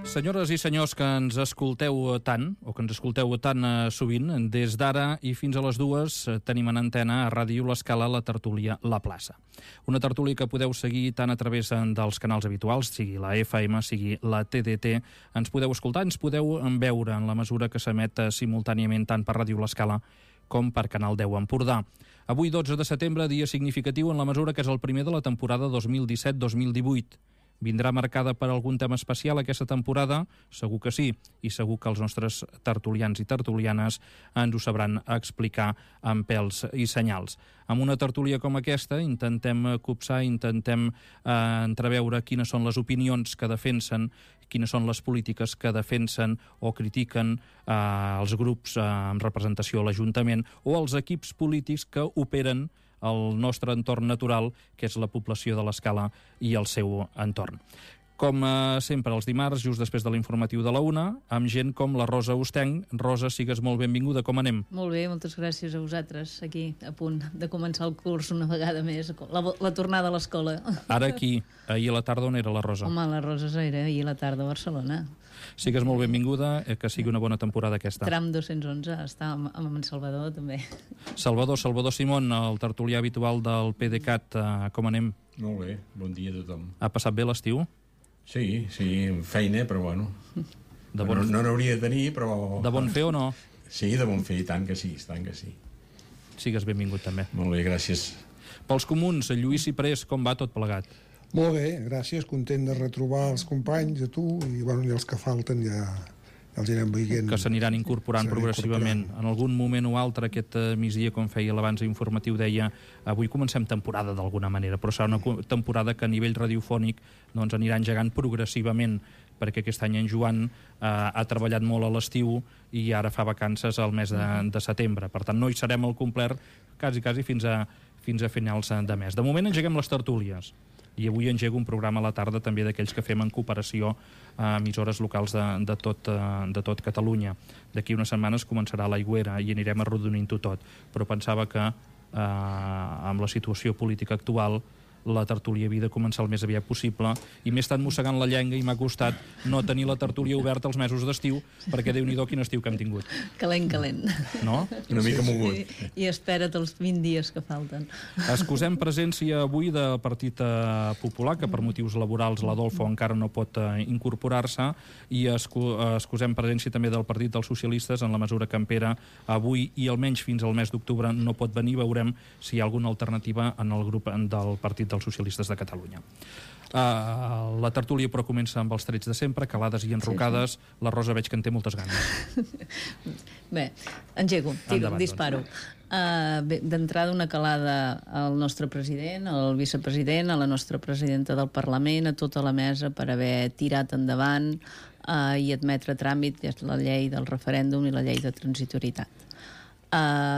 Senyores i senyors que ens escolteu tant, o que ens escolteu tan sovint, des d'ara i fins a les 2 tenim en antena a Ràdio L'Escala la tertúlia La Plaça. Una tertúlia que podeu seguir tant a través dels canals habituals, sigui la FM, sigui la TDT. Ens podeu escoltar, ens podeu veure en la mesura que s'emet simultàniament tant per Ràdio L'Escala com per Canal 10 Empordà. Avui, 12 de setembre, dia significatiu en la mesura que és el primer de la temporada 2017-2018. Vindrà marcada per algun tema especial aquesta temporada? Segur que sí, i segur que els nostres tertulians i tertulianes ens ho sabran explicar amb pèls i senyals. Amb una tertúlia com aquesta intentem copsar, intentem entreveure quines són les opinions que defensen, quines són les polítiques que defensen o critiquen els grups amb representació a l'Ajuntament o els equips polítics que operen el nostre entorn natural, que és la població de l'Escala i el seu entorn. Com sempre, els dimarts, just després de l'informatiu de la 1, amb gent com la Rosa Ostenc. Rosa, sigues molt benvinguda, com anem? Molt bé, moltes gràcies a vosaltres, aquí, a punt de començar el curs una vegada més, la tornada a l'escola. Ara aquí, ahir a la tarda, on era la Rosa? Home, la Rosa era ahir a la tarda a Barcelona. Sigues molt benvinguda, que sigui una bona temporada aquesta. Tram 211, està amb en Salvador, també. Salvador Simón, el tertulià habitual del PDeCAT, com anem? Molt bé, bon dia a tothom. Ha passat bé l'estiu? Sí, feina, però bueno. No n'hauria de tenir, però... De bon fer o no? Sí, de bon fer, tant que sí, tant que sí. Sigues benvingut també. Molt bé, gràcies. Pels comuns, Lluís Ciprés, com va tot plegat? Molt bé, gràcies, content de retrobar els companys, a tu, i bueno, i els que falten ja els anirem veient. Que s'aniran incorporant progressivament. En algun moment o altre, aquest migdia, com feia l'abans informatiu, deia avui comencem temporada d'alguna manera, però serà una temporada que a nivell radiofònic doncs, anirà engegant progressivament, perquè aquest any en Joan ha treballat molt a l'estiu i ara fa vacances al mes de setembre. Per tant, no hi serem al complet quasi fins a finals de mes. De moment engeguem les tertúlies. I avui engego un programa a la tarda també d'aquells que fem en cooperació a emissores locals de tot Catalunya. D'aquí unes setmanes començarà l'Aigüera i anirem arrodonint-ho tot. Però pensava que amb la situació política actual la tertúlia havia de començar el més aviat possible i m'he estat mossegant la llengua i m'ha costat no tenir la tertúlia oberta els mesos d'estiu, perquè Déu-n'hi-do quin estiu que hem tingut. Calent. No? Una mica mogut. I espera't els 20 dies que falten. Excusem presència avui del Partit Popular, que per motius laborals l'Adolfo encara no pot incorporar-se, i excusem presència també del Partit dels Socialistes en la mesura que en Pere avui i almenys fins al mes d'octubre no pot venir. Veurem si hi ha alguna alternativa en el grup del Partit dels Socialistes de Catalunya. La tertúlia però comença amb els trets de sempre, calades i enrocades. Sí. La Rosa veig que en té moltes ganes. Bé, engego, disparo. D'entrada una calada al nostre president, al vicepresident, a la nostra presidenta del Parlament, a tota la mesa per haver tirat endavant i admetre a tràmit la llei del referèndum i la llei de transitorietat.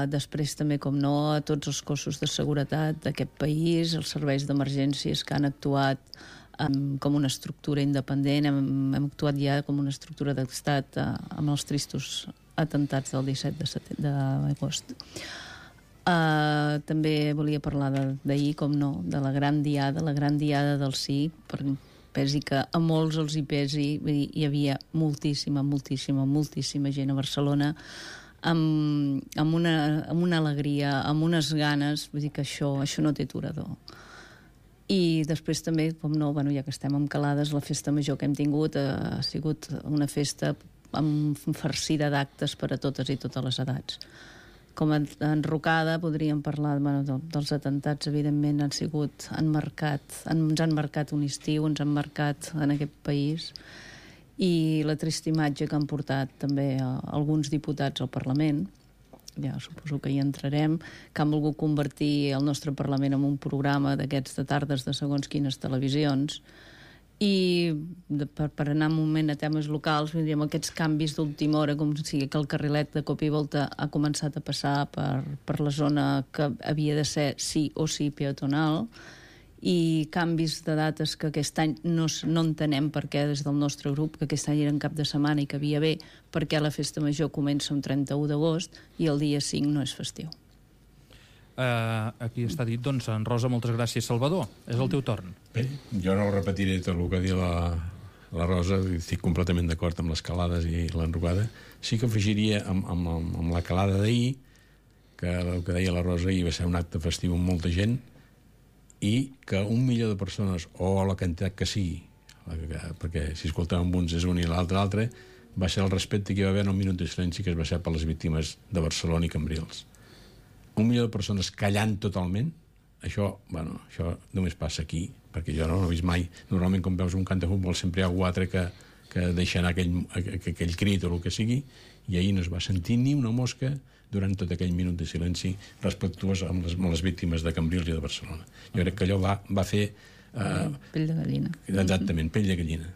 Després també, com no, a tots els cossos de seguretat d'aquest país, els serveis d'emergències que han actuat com una estructura independent, hem actuat ja com una estructura d'estat amb els tristos atentats del 17 d'agost. També volia parlar d'ahir, com no, de la gran diada del sí, pesi que a molts els hi pesi, hi havia moltíssima gent a Barcelona amb una alegria, amb unes ganes, vull dir que això no té aturador. I després també, com no, ja que estem amb calades, la festa major que hem tingut ha sigut una festa farcida d'actes per a totes i totes les edats. Com a enrocada podríem parlar dels atentats, evidentment ens han marcat un estiu, ens han marcat en aquest país, i la trista imatge que han portat també alguns diputats al Parlament, ja suposo que hi entrarem, que han volgut convertir el nostre Parlament en un programa d'aquests de tardes de segons quines televisions, i per anar un moment a temes locals, diríem, aquests canvis d'última hora, com sigui que el carrilet de cop i volta ha començat a passar per la zona que havia de ser sí o sí peatonal, i canvis de dates que aquest any no entenem per què des del nostre grup, que aquest any era en cap de setmana i que havia bé, perquè la festa major comença un 31 d'agost i el dia 5 no és festiu. Aquí està dit, doncs, en Rosa, moltes gràcies. Salvador, és el teu torn. Bé, jo no repetiré tot el que ha dit la Rosa, estic completament d'acord amb les calades i l'enrocada. Sí que afegiria amb la calada d'ahir, que el que deia la Rosa ahir va ser un acte festiu amb molta gent, i que 1 milió de persones, o la quantitat que sigui, perquè si escoltàvem uns és un i l'altre, va ser el respecte que hi va haver en un minut de silenci que es va fer per les víctimes de Barcelona i Cambrils. 1 milió de persones callant totalment, això només passa aquí, perquè jo no ho he vist mai. Normalment, quan veus un camp de futbol, sempre hi ha algú altre que deixa anar aquell crit o el que sigui, i ahir no es va sentir ni una mosca durant tot aquell minut de silenci respectuós amb les víctimes de Cambrils i de Barcelona. Jo crec que allò va fer... Pell de gallina. Exactament, pell de gallina.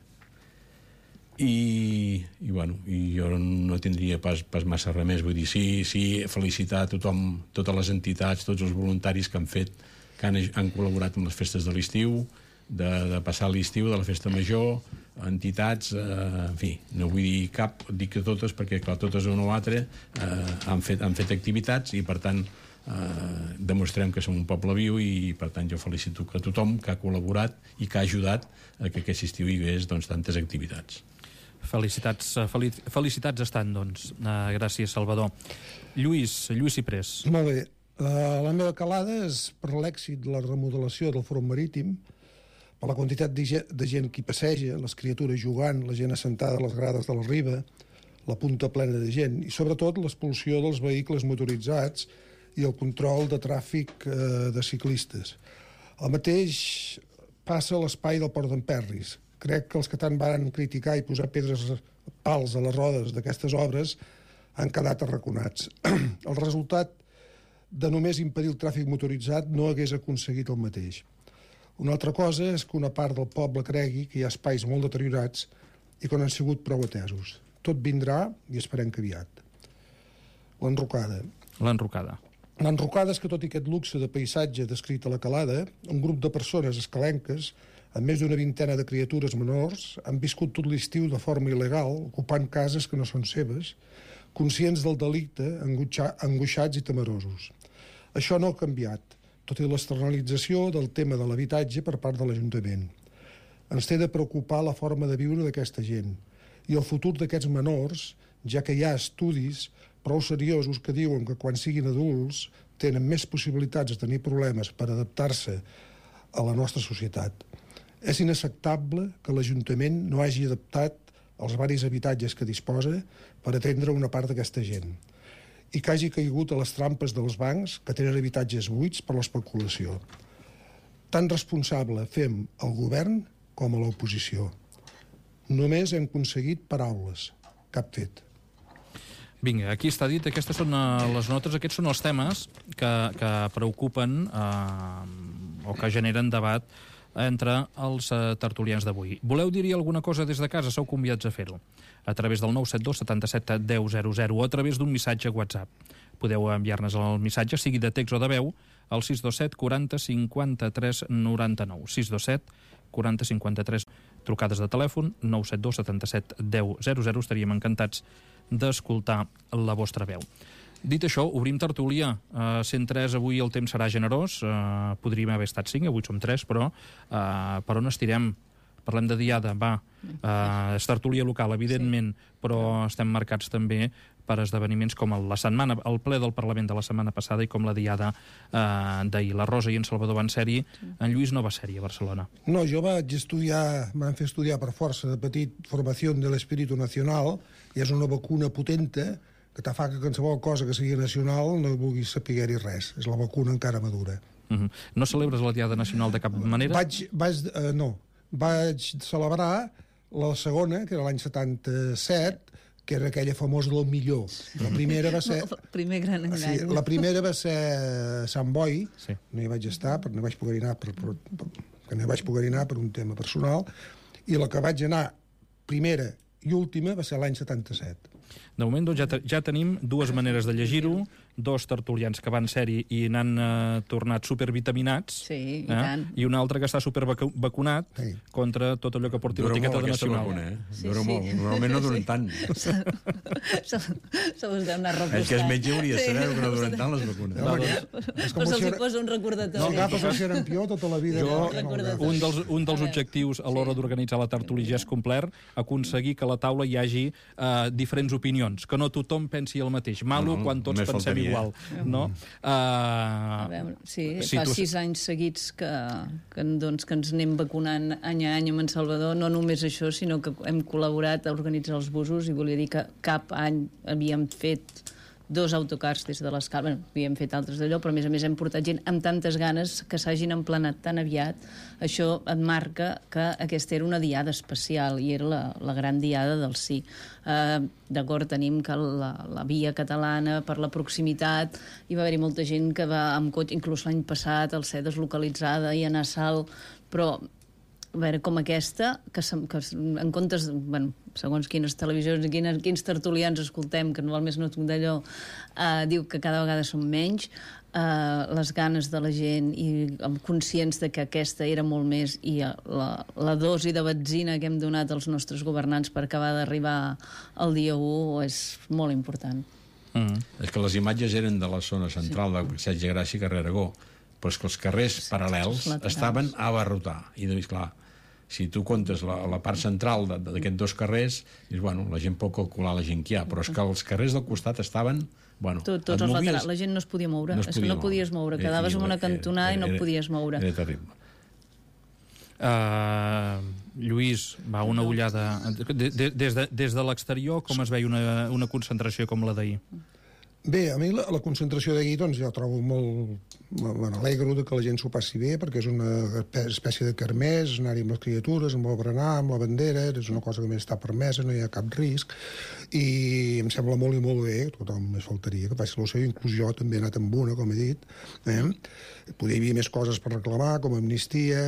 I jo no tindria pas massa res més. Vull dir, sí, felicitar a tothom, totes les entitats, tots els voluntaris que han fet, que han col·laborat amb les festes de l'estiu, de passar l'estiu, de la festa major, entitats, en fi, no vull dir cap, dic que totes, perquè clar, totes una o altra han fet activitats i per tant demostrem que som un poble viu i per tant jo felicito a tothom que ha col·laborat i que ha ajudat a que aquest estiu hi hagués tantes activitats. Felicitats estan, doncs. Gràcies, Salvador. Lluís Ciprés. Molt bé. La meva calada és per l'èxit de la remodelació del front marítim, per la quantitat de gent que hi passeja, les criatures jugant, la gent assentada a les grades de la riba, la punta plena de gent, i sobretot l'expulsió dels vehicles motoritzats i el control de tràfic de ciclistes. El mateix passa a l'espai del Port d'Emperris. Crec que els que tant van criticar i posar pals a les rodes d'aquestes obres han quedat arraconats. El resultat de només impedir el tràfic motoritzat no hagués aconseguit el mateix. Una altra cosa és que una part del poble cregui que hi ha espais molt deteriorats i que no han sigut prou atesos. Tot vindrà i esperem que aviat. L'enrocada. L'enrocada és que tot i aquest luxe de paisatge descrit a la calada, un grup de persones escalenques, amb més d'una vintena de criatures menors, han viscut tot l'estiu de forma il·legal, ocupant cases que no són seves, conscients del delicte, angoixats i temerosos. Això no ha canviat, tot i l'externalització del tema de l'habitatge per part de l'Ajuntament. Ens té de preocupar la forma de viure d'aquesta gent i el futur d'aquests menors, ja que hi ha estudis prou seriosos que diuen que quan siguin adults tenen més possibilitats de tenir problemes per adaptar-se a la nostra societat. És inacceptable que l'Ajuntament no hagi adaptat els varis habitatges que disposa per atendre una part d'aquesta gent i que hagi caigut a les trampes dels bancs que tenen habitatges buits per l'especulació. Tan responsable fem el govern com a l'oposició. Només hem aconseguit paraules, cap fet. Vinga, aquí està dit, aquestes són les notes, aquests són els temes que preocupen o que generen debat entre els tertulians d'avui. Voleu dir-hi alguna cosa des de casa? Sou convidats a fer-ho a través del 972 77 10 00 o a través d'un missatge WhatsApp. Podeu enviar-nos el missatge, sigui de text o de veu, al 627 40 53 99. 627 40 53 trucades de telèfon, 972 77 10 00. Estaríem encantats d'escoltar la vostra veu. Dit això, obrim tertúlia. 103 avui el temps serà generós. Podríem haver estat 5, avui som 3, però per on estirem? Parlem de diada, va. És tertúlia local, evidentment, però estem marcats també per esdeveniments com el ple del Parlament de la setmana passada i com la diada d'ahir. La Rosa i en Salvador van ser-hi. En Lluís no va ser-hi a Barcelona. No, jo vaig estudiar, m'han fet estudiar per força de petit Formació de l'Espíritu Nacional, i és una vacuna potenta que te fa que qualsevol cosa que sigui nacional no vulguis saber-hi res. És la vacuna encara madura. No celebres la Diada Nacional de cap manera? Vaig celebrar la segona, que era l'any 77, que era aquella famosa del millor. La primera va ser... El primer gran engany. Sí, la primera va ser a Sant Boi, sí. No hi vaig estar, perquè no vaig poder anar per un tema personal, i la que vaig anar primera i última va ser l'any 77. De moment doncs, ja tenim dues maneres de llegir-ho, dos tertulians que van ser-hi i n'han tornat supervitaminats, Sí, i tant. i un altre que està supervacunat contra tot allò que porti l'etiqueta de nacional. Dura molt. Normalment no duren tant. Se us deu anar repostant. El que és metge hauria de saber que no duren tant les vacunes. Però se'ls posa un recordatori. No, cap a ser campió tota la vida. Un dels objectius a l'hora d'organitzar la tertúlia ja és complert, aconseguir que a la taula hi hagi diferents opinions, que no tothom pensi el mateix. Malo quan tots pensem igual. No? A veure, fa 6 anys seguits que ens anem vacunant any a any amb en Salvador, no només això, sinó que hem col·laborat a organitzar els busos, i volia dir que cap any havíem fet 2 autocars des de l'Escala. Havíem fet altres d'allò, però a més hem portat gent amb tantes ganes que s'hagin emplenat tan aviat. Això et marca que aquesta era una diada especial i era la gran diada del sí. D'acord, tenim que la via catalana, per la proximitat, hi va haver-hi molta gent que va amb cotxe, inclús l'any passat, al ser deslocalitzada i anar a Salt, però a veure, com aquesta, que en comptes, segons quines televisions i quins tertulians escoltem, que no val més no d'allò, diu que cada vegada són menys, les ganes de la gent i conscients de que aquesta era molt més, i la dosi de benzina que hem donat als nostres governants per acabar d'arribar al dia 1 és molt important. És que les imatges eren de la zona central del Passeig de Gràcia i carrer Aragó, però és que els carrers paral·lels estaven a abarrotar. I doncs, clar, si tu comptes la part central d'aquests 2 carrers, dius, bueno, la gent pot calcular la gent que hi ha, però és que els carrers del costat estaven... Tots els laterals, la gent no es podia moure, és que no podies moure, quedaves en una cantonada i no podies moure. Era terrible. Lluís, va, una ullada. Des de l'exterior, com es veia una concentració com la d'ahir? Bé, a mi la concentració d'ahir, doncs, jo trobo molt... M'alegro que la gent s'ho passi bé, perquè és una espècie de kermés, anar-hi amb les criatures, amb el berenar, amb la bandera, és una cosa que més està permesa, no hi ha cap risc, i em sembla molt i molt bé, tothom més faltaria que faci la seva, inclús jo també he anat amb una, com he dit. Poder hi havia més coses per reclamar, com amnistia...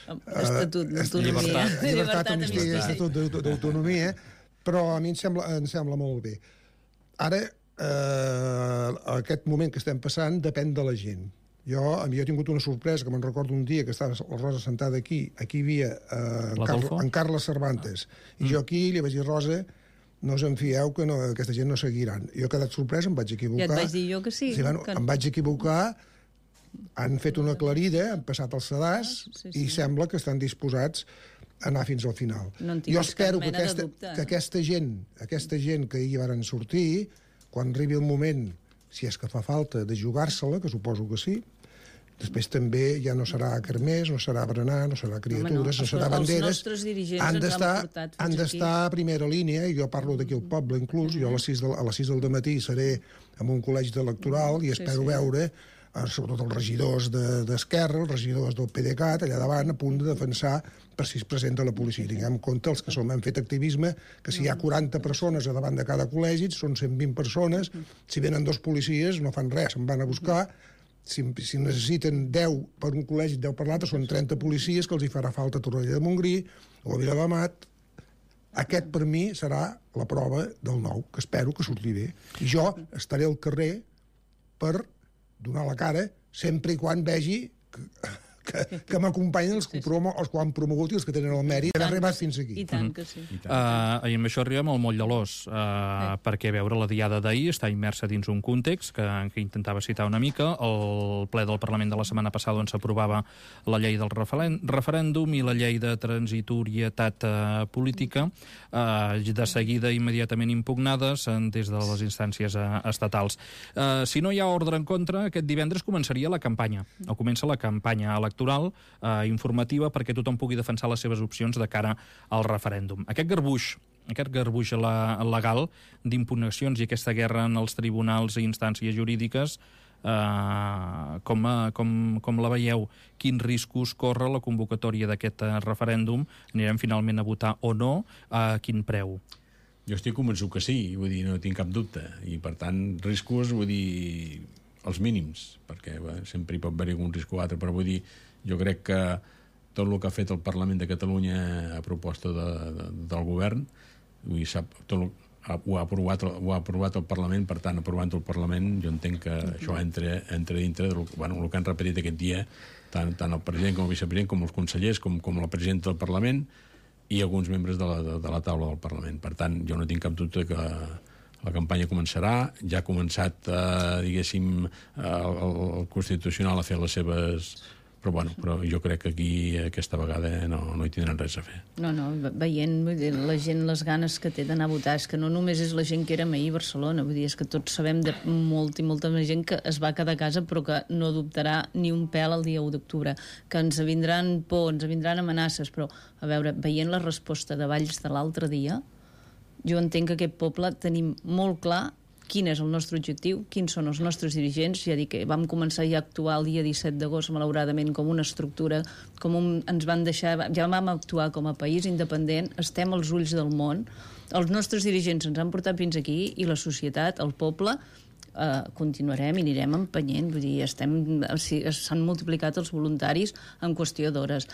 Estatut d'autonomia. Llibertat, amnistia, estatut d'autonomia, però a mi em sembla molt bé. Ara, aquest moment que estem passant depèn de la gent. Jo he tingut una sorpresa, que me'n recordo un dia que estava la Rosa sentada aquí hi havia en Carles Cervantes, i jo aquí li vaig dir, Rosa, no us en fieu que aquesta gent no seguiran. Jo he quedat sorpresa, em vaig equivocar. Ja et vaig dir jo que sí. Em vaig equivocar, han fet una aclarida, han passat el sedàs, i sembla que estan disposats a anar fins al final. Jo espero que aquesta gent que hi varen sortir, quan arribi el moment, si és que fa falta, de jugar-se-la, que suposo que sí, després també ja no serà kermés, no serà berenar, no serà criatures, no serà banderes. Els nostres dirigents han d'estar a primera línia, i jo parlo d'aquí al poble inclús, jo a les 6 del matí seré en un col·legi electoral i espero veure sobretot els regidors d'Esquerra, els regidors del PDeCAT, allà davant, a punt de defensar per si es presenta la policia. Tinguem en compte els que hem fet activisme, que si hi ha 40 persones a davant de cada col·legi, són 120 persones, si venen 2 policies no fan res, se'n van a buscar, si necessiten 10 per un col·legi, 10 per l'altre, són 30 policies que els hi farà falta a Torroella de Montgrí o a Viladamat. Aquest, per mi, serà la prova del nou, que espero que surti bé. I jo estaré al carrer per donar la cara, sempre i quan vegi que m'acompanyen els que ho han promogut i els que tenen el mèrit d'haver arribat fins aquí. I tant que sí. I amb això arribem al moll de l'os, perquè veure la diada d'ahir està immersa dins un context que intentava citar una mica. El ple del Parlament de la setmana passada on s'aprovava la llei del referèndum i la llei de transitorietat política, de seguida immediatament impugnades des de les instàncies estatals. Si no hi ha ordre en contra, aquest divendres començaria la campanya, o comença la campanya electoral informativa perquè tothom pugui defensar les seves opcions de cara al referèndum. Aquest garbuix legal d'impugnacions i aquesta guerra en els tribunals i instàncies jurídiques, com la veieu? Quins riscos corre la convocatòria d'aquest referèndum? Anirem finalment a votar o no? A quin preu? Jo estic convençut que sí, vull dir, no tinc cap dubte. I, per tant, riscos, vull dir, els mínims, perquè sempre hi pot haver algun risc o altre, però vull dir, jo crec que tot el que ha fet el Parlament de Catalunya a proposta del govern, vull dir, ho ha aprovat el Parlament, per tant, aprovant el Parlament, jo entenc que això entra dintre del el que han repetit aquest dia, tant el president com el vicepresident, com els consellers, com la presidenta del Parlament i alguns membres de la taula del Parlament. Per tant, jo no tinc cap dubte que la campanya començarà, ja ha començat, diguéssim, el Constitucional a fer les seves... Però jo crec que aquí aquesta vegada no hi tindran res a fer. No, veient la gent, les ganes que té d'anar a votar, és que no només és la gent que érem ahir a Barcelona, vull dir, és que tots sabem de molta gent que es va quedar a casa però que no dubtarà ni un pèl el dia 1 d'octubre, que ens vindran por, ens vindran amenaces, però, a veure, veient la resposta de Valls de l'altre dia, jo entenc que aquest poble tenim molt clar quin és el nostre objectiu, quins són els nostres dirigents. Ja dic que vam començar ja a actuar el dia 17 d'agost, malauradament, com una estructura, ens van deixar... Ja vam actuar com a país independent, estem als ulls del món, els nostres dirigents ens han portat fins aquí i la societat, el poble, continuarem i anirem empenyent. Vull dir, s'han multiplicat els voluntaris en qüestió d'hores.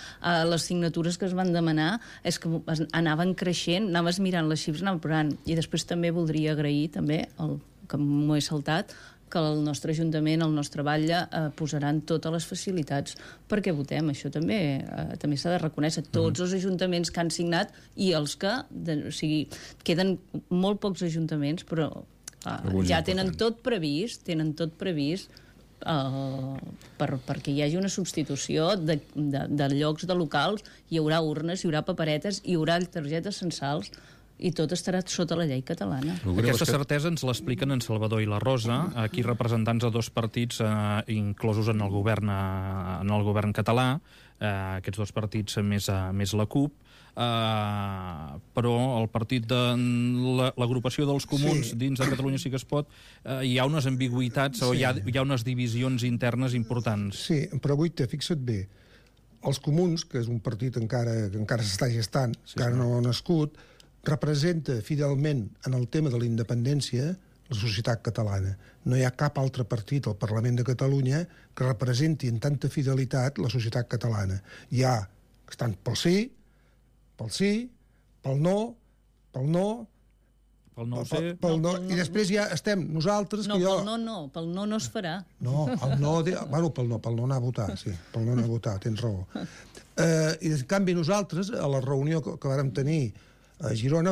Les signatures que es van demanar és que anaven creixent, anaves mirant les xifres, anaven provant. I després també voldria agrair, també, que m'ho he saltat, que el nostre Ajuntament, el nostre batlle, posaran totes les facilitats perquè votem. Això també s'ha de reconèixer. Tots els ajuntaments que han signat i els que... O sigui, queden molt pocs ajuntaments, però ja tenen tot previst perquè hi hagi una substitució de llocs de locals, hi haurà urnes, hi haurà paperetes, hi haurà targetes censals i tot estarà sota la llei catalana. Aquesta certesa ens l'expliquen en Salvador i la Rosa, aquí representants de dos partits inclosos en el govern català, aquests dos partits més la CUP, però el partit de l'agrupació dels comuns dins de Catalunya Sí que es pot, hi ha unes ambigüitats o hi ha unes divisions internes importants. Sí, però avui fixa't bé, els comuns, que és un partit que encara s'està gestant, encara no ha nascut, representa fidelment en el tema de la independència la societat catalana. No hi ha cap altre partit al Parlament de Catalunya que representi en tanta fidelitat la societat catalana. Hi ha que estan pel sí, pel no, pel no, i després ja estem nosaltres... No, pel no es farà. No, pel no anar a votar, sí, pel no anar a votar, tens raó. I en canvi nosaltres, a la reunió que vàrem tenir a Girona,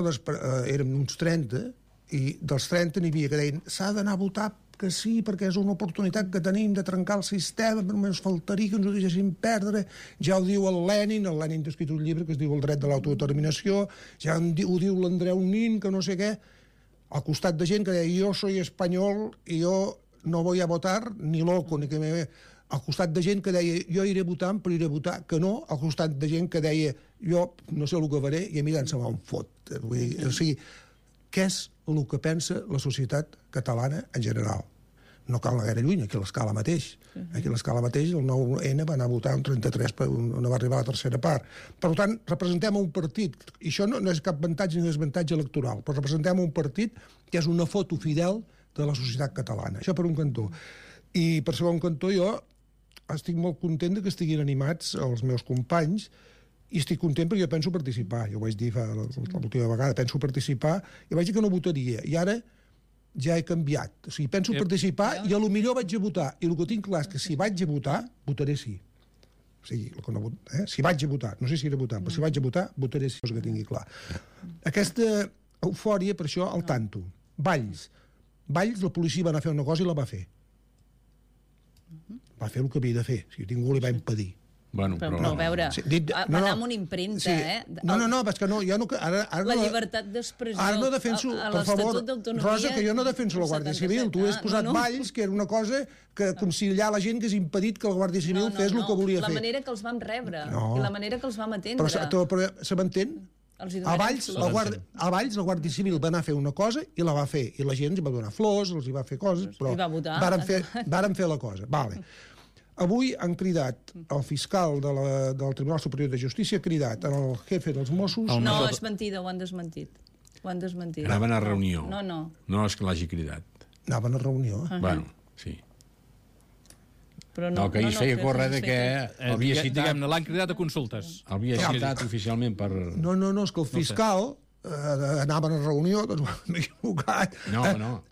érem uns 30, i dels 30 n'hi havia que deien s'ha d'anar a votar que sí, perquè és una oportunitat que tenim de trencar el sistema, però només faltaria que ens ho deixessin perdre. Ja ho diu el Lenin ha escrit un llibre que es diu El dret de l'autodeterminació, ja ho diu l'Andreu Nin, que no sé què, al costat de gent que deia jo soy espanyol i jo no voy a votar ni loco, ni que me... Al costat de gent que deia jo iré votant, però iré a votar que no, al costat de gent que deia jo no sé el que faré i a mi tant se m'ha un fot. O sigui, què és el que pensa la societat catalana en general? No cal anar gaire lluny, aquí a l'Escala mateix. Aquí a l'Escala mateix el 9N va anar a votar un 33, no va arribar a la tercera part. Per tant, representem un partit, i això no és cap avantatge ni desavantatge electoral, però representem un partit que és una foto fidel de la societat catalana. Això per un cantó. I per segon cantó jo estic molt content que estiguin animats els meus companys i estic content perquè jo penso participar. Jo ho vaig dir l'última vegada, penso participar i vaig dir que no votaria. I ara ja he canviat. O sigui, penso participar i a lo millor vaig a votar. I el que tinc clar és que si vaig a votar, votaré sí. O sigui, si vaig a votar, no sé si iré a votar, però si vaig a votar, votaré sí, cosa que tingui clar. Aquesta eufòria, per això, al tanto. Valls, la policia va anar a fer una cosa i la va fer. Va fer el que havia de fer. Si ningú li va impedir. Bueno, però a veure, va anar amb una impremta, No, és que no, jo no... La llibertat d'expressió, ara no defenso, per favor, Rosa, que jo no defenso la Guàrdia Civil. Tu has posat Valls, que era una cosa que conciliar la gent que és impedit que la Guàrdia Civil fes el que volia fer. La manera que els vam rebre i la manera que els vam atendre. Però se m'entén? A Valls la Guàrdia Civil va anar a fer una cosa i la va fer. I la gent els va donar flors, els va fer coses, però varen fer la cosa. Vale. Avui han cridat el fiscal del Tribunal Superior de Justícia, ha cridat el jefe dels Mossos... No, és mentida, ho han desmentit. Anaven a reunió. No. No és que l'hagi cridat. Anaven a reunió. Bueno, sí. No, que ahir feia córrer que havia citat... Diguem-ne, l'han cridat a consultes. Havia citat oficialment per... No, és que el fiscal anaven a reunió, doncs m'he equivocat. No.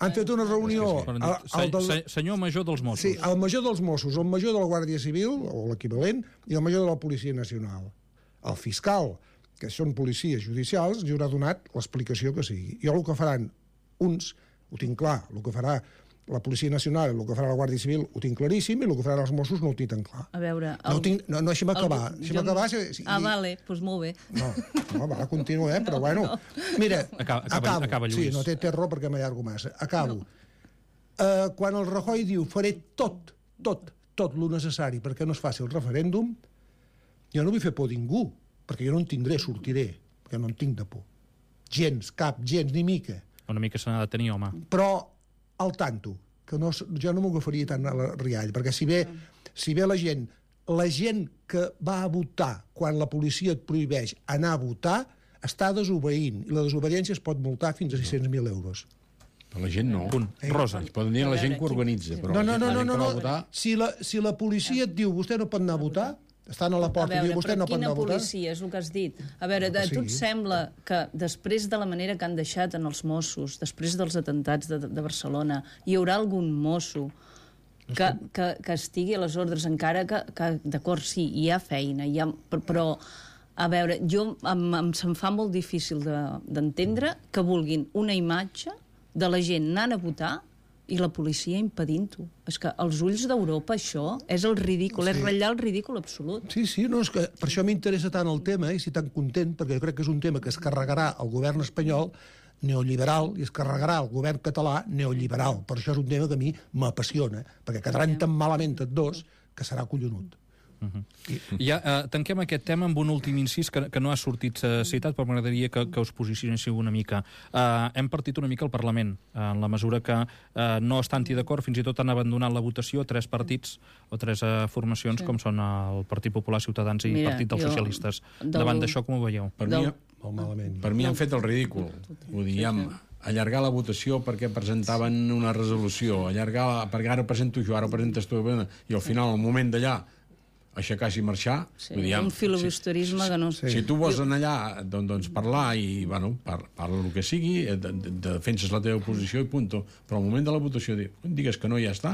Han fet una reunió... Senyor major dels Mossos. Sí, el major dels Mossos, el major de la Guàrdia Civil, o l'equivalent, i el major de la Policia Nacional. El fiscal, que són policies judicials, li haurà donat l'explicació que sigui. I el que faran uns, ho tinc clar, el que farà la Policia Nacional, el que farà la Guàrdia Civil, ho tinc claríssim, i el que faran els Mossos no ho tinc tan clar. A veure... No, deixa'm acabar. Vale, doncs molt bé. No, va, continuem, però bueno. Mira, acaba, Lluís. Sí, no té raó perquè m'allargo massa. Acabo. Quan el Rajoy diu faré tot lo necessari perquè no es faci el referèndum, jo no vull fer por a ningú, perquè jo no en tindré, sortiré, perquè no en tinc de por. Gens, ni mica. Una mica se n'ha de tenir, home. Però al tanto, que jo no m'ho agafaria tant a la riall, perquè si ve la gent que va a votar quan la policia et prohibeix anar a votar, està desobeint, i la desobediència es pot multar fins a 600.000 euros. Però la gent no. Rosa. Es poden dir a la gent que organitza, però no. Si la policia et diu vostè no pot anar a votar, estan a la porta i diu vostè no pot anar a votar... Quina policia, és el que has dit? A veure, a tu et sembla que després de la manera que han deixat en els Mossos, després dels atentats de Barcelona, hi haurà algun mosso que estigui a les ordres, encara que d'acord, sí, hi ha feina, però, a veure, se'm fa molt difícil d'entendre que vulguin una imatge de la gent anant a votar i la policia impedint-ho. És que als ulls d'Europa això és el ridícul, és ratllar el ridícul absolut. Sí, no, és que per això m'interessa tant el tema i estic tan content, perquè jo crec que és un tema que es carregarà el govern espanyol neoliberal i es carregarà el govern català neoliberal. Per això és un tema que a mi m'apassiona, perquè quedaran tan malament tots dos que serà collonut. Ja tanquem aquest tema amb un últim incís que no ha sortit citat, però m'agradaria que us posicionéssiu una mica. Hem partit una mica el Parlament, en la mesura que no estan-hi d'acord, fins i tot han abandonat la votació 3 partits o 3 formacions, com són el Partit Popular, Ciutadans i Partit dels Socialistes. Davant d'això, com ho veieu? Per mi han fet el ridícul. Ho diem, allargar la votació perquè presentaven una resolució, allargar perquè ara presento jo, ara presentes tu, i al final, al moment d'allà, aixecar-se i marxar. Un filibusterisme que no... Si tu vols anar allà, doncs parlar i, parla el que sigui, defenses la teva posició i punto. Però al moment de la votació digues que no, ja està.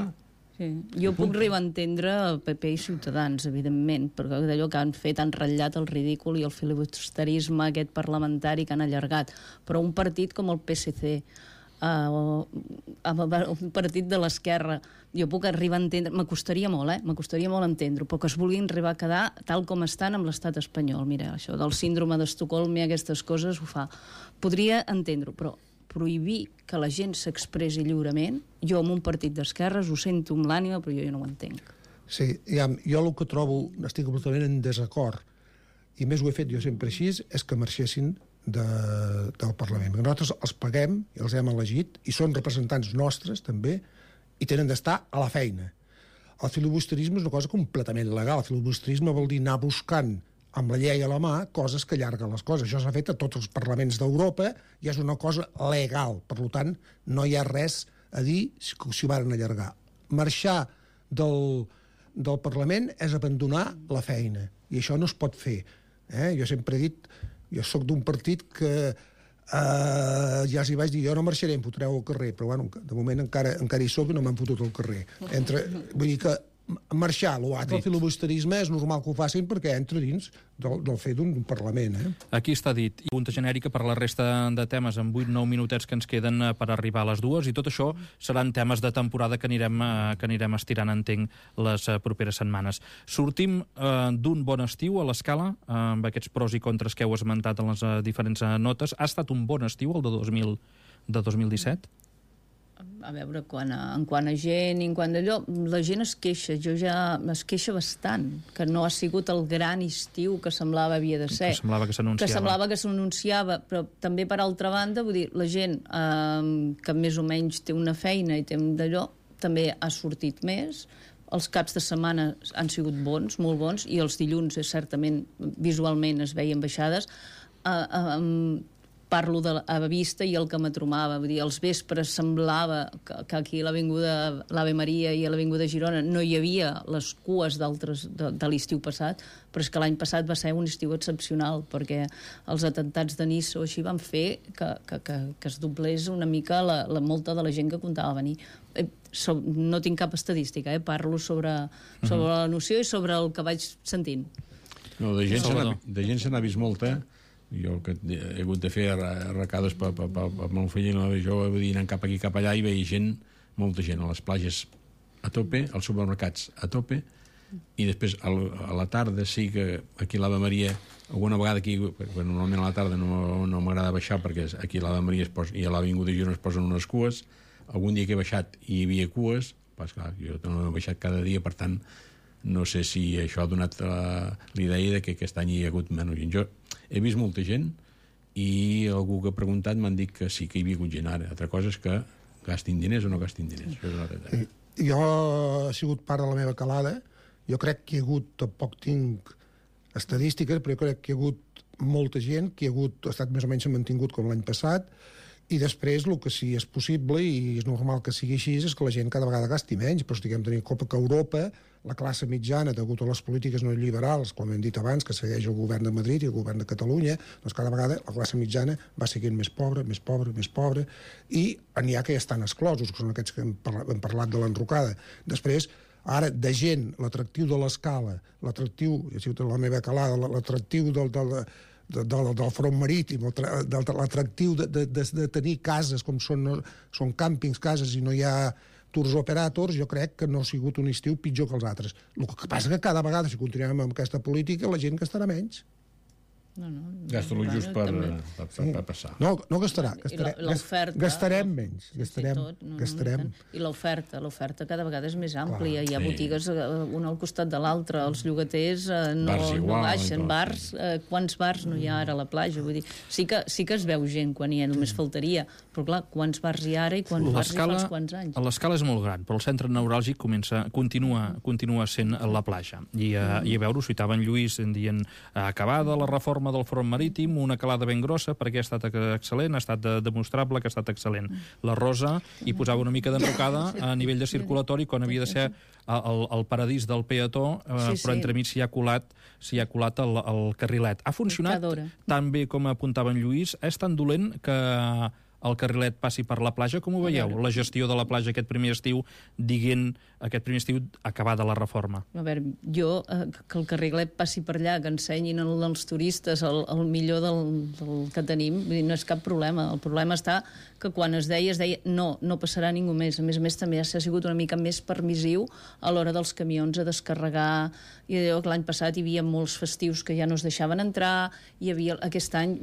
Jo puc arribar a entendre el PP i Ciutadans, evidentment, perquè d'allò que han fet han ratllat el ridícul i el filibusterisme aquest parlamentari que han allargat. Però un partit com el PSC, un partit de l'esquerra, jo puc arribar a entendre, m'acostaria molt entendre-ho, però que es vulguin arribar a quedar tal com estan amb l'estat espanyol. Mira, això del síndrome d'Estocolm i aquestes coses ho fa. Podria entendre-ho, però prohibir que la gent s'expressi lliurement, jo amb un partit d'esquerres ho sento amb l'ànima, però jo no ho entenc. Sí, jo el que trobo, estic completament en desacord, i més ho he fet jo sempre així, és que marxessin del Parlament. Nosaltres els paguem i els hem elegit i són representants nostres també i tenen d'estar a la feina. El filibusterisme és una cosa completament legal. El filibusterisme vol dir anar buscant amb la llei a la mà coses que allarguen les coses. Això s'ha fet a tots els parlaments d'Europa i és una cosa legal. Per tant, no hi ha res a dir si ho van allargar. Marxar del Parlament és abandonar la feina i això no es pot fer. Jo sempre he dit, jo sóc d'un partit que ja els hi vaig dir, jo no marxaré, em fotreu al carrer, però de moment encara hi soc i no m'han fotut al carrer. Vull dir que marxar l'altre, el filibusterisme, és normal que ho facin perquè entra dins del fet d'un Parlament. Aquí està dit. I punta genèrica per la resta de temes en 8-9 minutets que ens queden per arribar a les 2, i tot això seran temes de temporada que anirem estirant, entenc, les properes setmanes. Sortim d'un bon estiu a l'Escala, amb aquests pros i contres que heu esmentat en les diferents notes. Ha estat un bon estiu, el de 2017? A veure, en quant a gent i en quant d'allò, la gent es queixa, es queixa bastant, que no ha sigut el gran estiu que semblava havia de ser. Que semblava que s'anunciava. Però també, per altra banda, vull dir, la gent que més o menys té una feina i té d'allò, també ha sortit més. Els caps de setmana han sigut bons, molt bons, i els dilluns, certament, visualment es veien baixades. parlo a vista i el que m'atromava. Vull dir, als vespres semblava que aquí a l'Avinguda l'Ave Maria i a l'Avinguda Girona no hi havia les cues de l'estiu passat, però és que l'any passat va ser un estiu excepcional, perquè els atemptats de Niça o així van fer que es doblés una mica molta de la gent que comptava venir. No tinc cap estadística, parlo sobre la noció i sobre el que vaig sentint. No, de gent se n'ha vist molta. Jo que he hagut de fer arracades per meu fill i la jove, vull dir, anant cap aquí, cap allà, i veia gent, molta gent, a les platges a tope, als supermercats a tope, i després a la tarda sí que aquí a l'Ave Maria, alguna vegada aquí, perquè normalment a la tarda no m'agrada baixar, perquè aquí a l'Ave Maria i a l'Avinguda Girona es posen unes cues. Algun dia que he baixat i hi havia cues, però clar, jo no he baixat cada dia, per tant no sé si això ha donat l'idea que aquest any hi ha hagut menys gent. Jo he vist molta gent i algú que ha preguntat m'han dit que sí que hi havia hagut gent ara. Altra cosa és que gastin diners o no gastin diners. Això és la realitat. Jo he sigut part de la meva calada. Jo crec que hi ha hagut, tampoc tinc estadístiques, però jo crec que hi ha hagut molta gent, que ha estat més o menys mantingut com l'any passat, i després el que sí és possible, i és normal que sigui així, és que la gent cada vegada gasti menys, però estiguem tenint compte que Europa, la classe mitjana, degut a les polítiques neoliberals, com hem dit abans, que segueix el govern de Madrid i el govern de Catalunya, doncs cada vegada la classe mitjana va seguint més pobra, més pobra, més pobra, i n'hi ha que ja estan exclosos, que són aquests que hem parlat de l'enrocada. Després, ara, de gent, l'atractiu de l'escala, l'atractiu, ja ha sigut la meva calada, l'atractiu del front marítim, l'atractiu de tenir cases com són càmpings, cases, i no hi ha tours operators, jo crec que no ha sigut un estiu pitjor que els altres. El que passa que cada vegada, si continuem amb aquesta política, la gent gastarà menys. Gasta-lo just per passar. No gastarà. Gastarem menys. Gastarem. I l'oferta cada vegada és més àmplia. Hi ha botigues una al costat de l'altra. Els llogaters no baixen. Bars, quants bars no hi ha ara a la platja? Vull dir, sí que es veu gent quan hi ha, només faltaria. Però clar, quants bars hi ha ara i quants bars hi fa uns quants anys? L'escala és molt gran, però el centre neuràlgic continua sent la platja. I a veure, ho citava en Lluís dient acabada la reforma del front marítim, una calada ben grossa, perquè ha estat excel·lent, ha estat demostrable que ha estat excel·lent. La Rosa hi posava una mica d'enrocada a nivell de circulatori, quan havia de ser el paradís del peató, però entremig s'hi ha colat el carrilet. Ha funcionat tan bé com apuntava en Lluís? És tan dolent que el carrilet passi per la platja? Com ho veieu? La gestió de la platja aquest primer estiu, acabada la reforma. A veure, jo, que el carrilet passi per allà, que ensenyin als turistes el millor del que tenim, no és cap problema. El problema està que quan es deia no passarà ningú més. A més, també s'ha sigut una mica més permissiu a l'hora dels camions a descarregar. I l'any passat hi havia molts festius que ja no es deixaven entrar, hi havia aquest any,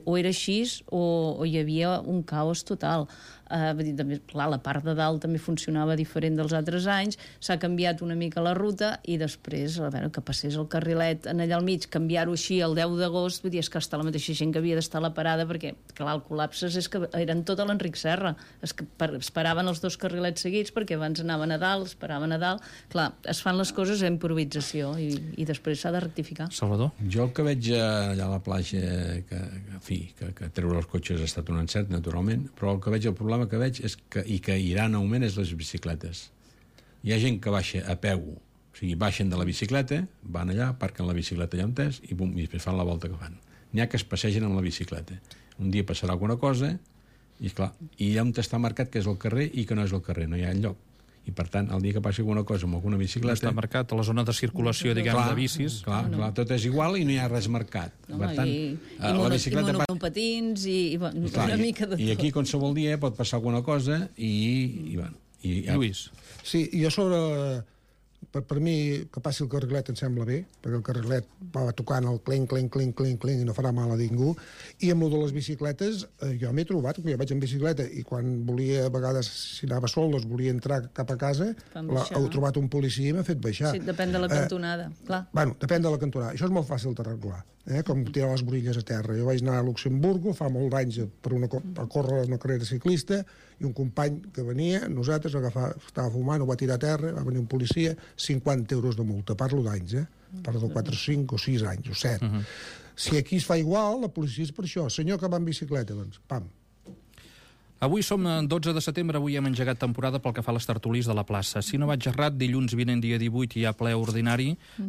o era així o hi havia un caos total. Clar, la part de dalt també funcionava diferent dels altres anys, s'ha canviat una mica la ruta i després, a veure, que passés el carrilet allà al mig, canviar-ho així el 10 d'agost, vull dir, és que està la mateixa gent que havia d'estar a la parada, perquè, clar, el col·lapse és que eren tot a l'Enric Serra, esperaven els dos carrilets seguits perquè abans anaven a dalt, esperaven a dalt, clar, es fan les coses a improvisació i després s'ha de rectificar. Salvador? Jo el que veig allà a la platja, que treure els cotxes ha estat un encert, naturalment, però el que veig, el problema que veig és que irà en augment és les bicicletes. Hi ha gent que baixa a peu, o sigui, baixen de la bicicleta, van allà, parquen la bicicleta allà on és i després fan la volta que fan. N'hi ha que es passegen amb la bicicleta. Un dia passarà alguna cosa i, clar, i allà on està marcat que és el carrer i que no és el carrer, no hi ha enlloc. I, per tant, el dia que passi alguna cosa amb alguna bicicleta... Està marcat a la zona de circulació, diguem, de bicis. Clar, tot és igual i no hi ha res marcat. Per tant, la bicicleta... I monopatins i una mica de tot. I aquí, qualsevol dia, pot passar alguna cosa i Lluís. Sí, jo sobre... Per mi, que passi el carrilet em sembla bé, perquè el carrilet va tocant el clenc, clenc, clenc, clenc, clenc, i no farà mal a ningú. I amb el de les bicicletes, jo m'he trobat, que jo vaig en bicicleta, i quan volia, a vegades, si anava sol, doncs volia entrar cap a casa, he trobat un policia i m'ha fet baixar. Sí, depèn de la cantonada, clar. Bueno, depèn de la cantonada. Això és molt fàcil d'arreglar. com tirar les borilles a terra. Jo vaig anar a Luxemburgo fa molts anys a córrer una carrera ciclista i un company que venia, nosaltres, estava fumant, ho va tirar a terra, va venir un policia, 50 euros de multa. Parlo d'anys, parlo de 4, 5 o 6 anys, o 7. Si aquí es fa igual, la policia és per això. Senyor que va en bicicleta, doncs, pam. Avui som 12 de setembre, avui hem engegat temporada pel que fa a les tertulis de la plaça. Si no vaig errat, dilluns vinent, dia 18, hi ha ple ordinari.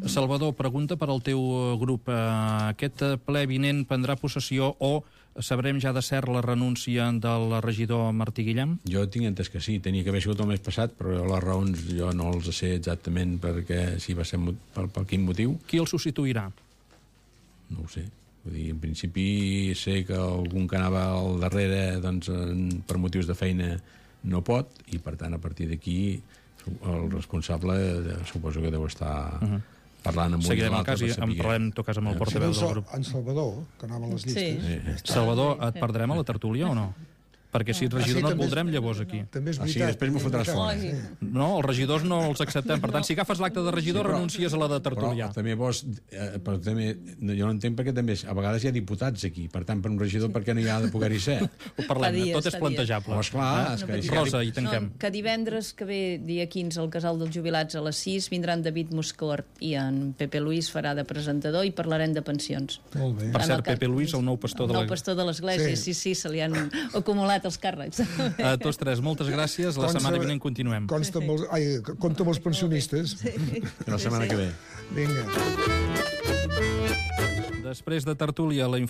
Salvador, pregunta per al teu grup. Aquest ple vinent prendrà possessió o sabrem ja de cert la renúncia del regidor Martí Guillem? Jo tinc entès que sí, tenia que haver sigut el mes passat, però les raons jo no els sé exactament perquè si va ser per quin motiu. Qui el substituirà? No ho sé. Vull dir, en principi sé que algun que anava al darrere doncs, per motius de feina no pot i per tant a partir d'aquí el responsable suposo que deu estar parlant amb un seguirem el cas i en parlem en tot cas amb el portaveu del grup. En Salvador, que anava a les llistes. Salvador, et perdrem a la tertúlia o no? Perquè si ets regidor no et voldrem llavors aquí. També és O sigui, veritat. després m'ho fotràs fora. No, els regidors no els acceptem. Per tant, si agafes l'acte de regidor, renuncies a la de tertulià. Però també vols... Però també, jo no entenc perquè també a vegades hi ha diputats aquí. Per tant, per un regidor, per què no hi ha de poder-hi ser? Ho parlem, tot és plantejable. Oh, esclar, Rosa, i tanquem. Que divendres que ve, dia 15, al Casal dels Jubilats a les 6, vindran David Moscort i en Pepe Luis farà de presentador i parlarem de pensions. Molt bé. Per cert, Pepe Luis, el nou pastor de El nou pastor de l'Església, sí, se li han acumulat els càrrecs. A tots tres, moltes gràcies. La setmana vinent continuem. Compta amb els pensionistes. La setmana que ve. Vinga. Després de tertúlia, la informació